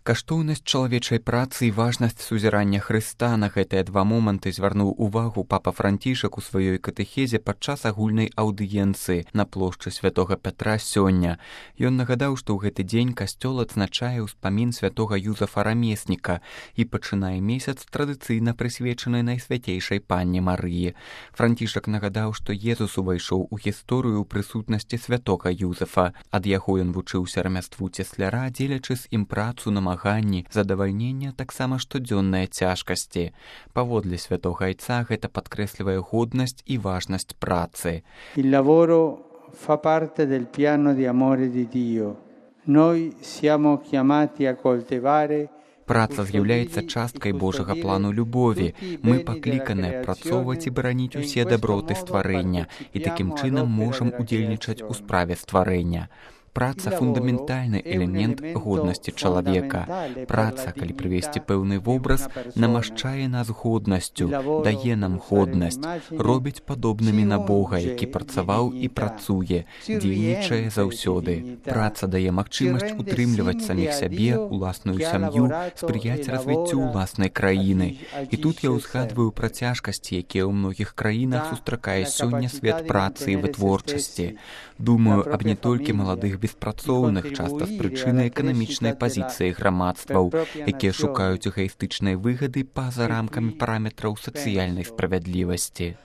Каштоўнасць чалавечай працы і важнасць сузірання Хрыста на гэтыя два моманты звярнуў увагу папа Францішак у сваёй катэхезе падчас агульнай аўдыенцыі на плошчы святога Пятра сёння. Ён нагадаў, што ў гэты дзень касцёл адзначае ўспамін святога Юзафа Рамесніка і пачынае месяц традыцыйна прысвечаны Найсвяцейшай Панне Марыі. Францішак нагадаў, што Езус увайшоў у гісторыю ў прысутнасці святога Юзафа. Ад яго ён вучыўся рамяству цесляра, дзелячы з ім працу на задавальнення таксама штодзённыя цяжкасці. Паводле святога айца гэта падкрэслівае годнасць і важнасць працы. Il lavoro fa parte del piano di amore di Dio. Noi siamo chiamati a coltivare. Праца з'яўляецца часткай Божага плану любові. Мы пакліканыя працоўваць і бараніць усе даброты стварэння і такім чынам можам удзельнічаць у справе стварэння. Праца – фундаментальны элемент годнасці чалавека. Праца, калі прывесці пэўны вобраз, намашчае нас годнасцю, дае нам годнасць, робіць падобнымі на Бога, які працаваў і працуе, дзейнічае заўсёды. Праца дае магчымасць утрымліваць саміх сябе, уласную сям'ю, спрыяць развіццю ўласнай краіны. І тут я ўзгадваю пра цяжкасці, якія ў многіх краінах сустракае сёння свет працы і вытворчасці. Думаю аб не толькі маладых беспрацоўных, часта з прычыны эканамічнай пазіцыі грамадстваў, якія шукаюць эгаістычнай выгады па-за рамкамі параметраў сацыяльнай справядлівасці.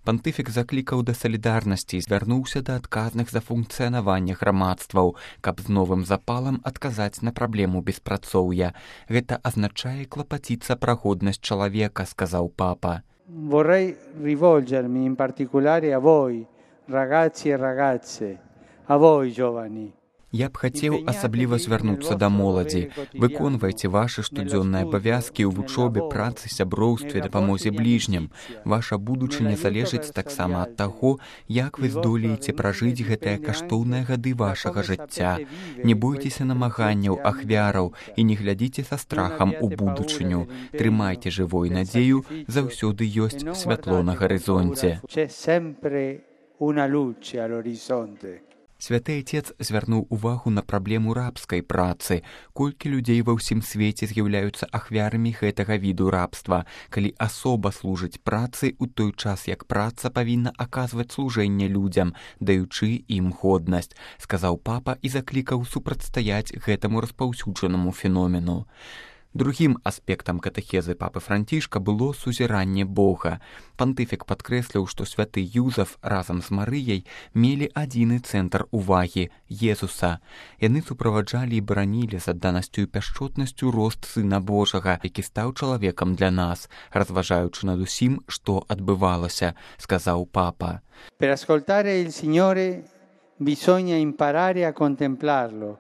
Пантыфік заклікаў да салідарнасці і звярнуўся да адказных за функцыянаванне грамадстваў, каб з новым запалам адказаць на праблему беспрацоўя. Гэта азначае клапаціцца пра годнасць чалавека, сказаў папа. Vorrei rivolgermi in particolare a voi, ragazzi e ragazze, a voi giovani. Я б хацеў асабліва звярнуцца да моладзі. Выконвайце вашы штодзённыя абавязкі ў вучобе, працы, сяброўстве, дапамозе бліжнім. Ваша будучыня залежыць таксама ад таго, як вы здолееце пражыць гэтыя каштоўныя гады вашага жыцця. Не бойцеся намаганняў, ахвяраў і не глядзіце са страхам у будучыню. Трымайце жывой надзею, заўсёды ёсць святло на гарызонце. Святы Айцец звярнуў увагу на праблему рабскай працы. Колькі людзей ва ўсім свеце з'яўляюцца ахвярамі гэтага віду рабства, калі асоба служыць працы ў той час, як праца павінна аказваць служэнне людзям, даючы ім годнасць, сказаў папа і заклікаў супрацьстаяць гэтаму распаўсюджанаму феномену. Другім аспектам катэхезы папы Францішка было сузіранне Бога. Пантыфік падкрэсліў, што святы Юзаф разам з Марыяй мелі адзіны цэнтр увагі – Езуса. Яны суправаджалі і баранілі з адданасцю і пяшчотнасцю рост Сына Божага, які стаў чалавекам для нас, разважаючы над усім, што адбывалася, сказаў папа. Per ascoltare il Signore bisogna imparare a contemplarlo,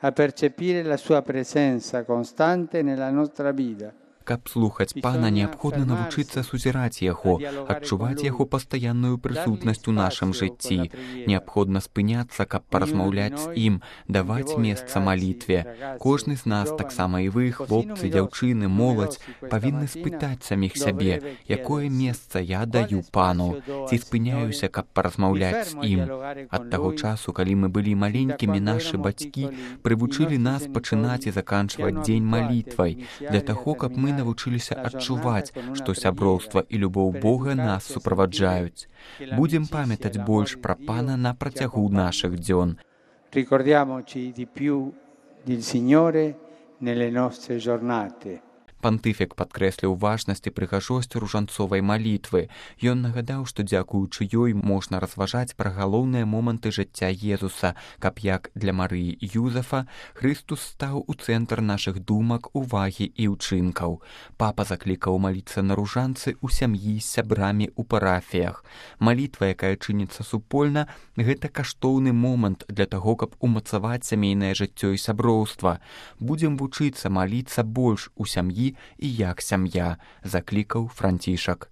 a percepire la sua presenza costante nella nostra vita. Каб слухаць пана, неабходна навучыцца сузіраць яго, адчуваць яго пастаянную прысутнасць у нашым жыцці. Неабходна спыняцца, каб паразмаўляць з ім, даваць месца малітве. Кожны з нас, таксама і вы, хлопцы, дзяўчыны, моладзь, павінны спытаць саміх сябе, якое месца я даю пану, ці спыняюся, каб паразмаўляць з ім. Ад таго часу, калі мы былі маленькімі, нашы бацькі прывучылі нас пачынаць і заканчваць дзень малітвай, для таго, каб мы навучыліся адчуваць, што сяброўства і любоў Бога нас суправаджаюць. Будзем памятаць больш пра пана на працягу нашых дзён. Ricordiamoci di più del Signore nelle nostre giornate. Пантыфік падкрэсліў важнасць і прыгажосць ружанцовай малітвы. Ён нагадаў, што дзякуючы ёй можна разважаць пра галоўныя моманты жыцця Езуса, каб як для Марыі і Юзафа Хрыстус стаў у цэнтр нашых думак, увагі і ўчынкаў. Папа заклікаў маліцца на ружанцы ў сям'і з сябрамі ў парафіях. Малітва, якая чыніцца супольна, гэта каштоўны момант для таго, каб умацаваць сямейнае жыццё і сяброўства. Будзем вучыцца маліцца больш у сям'і і як сям'я, заклікаў Францішак.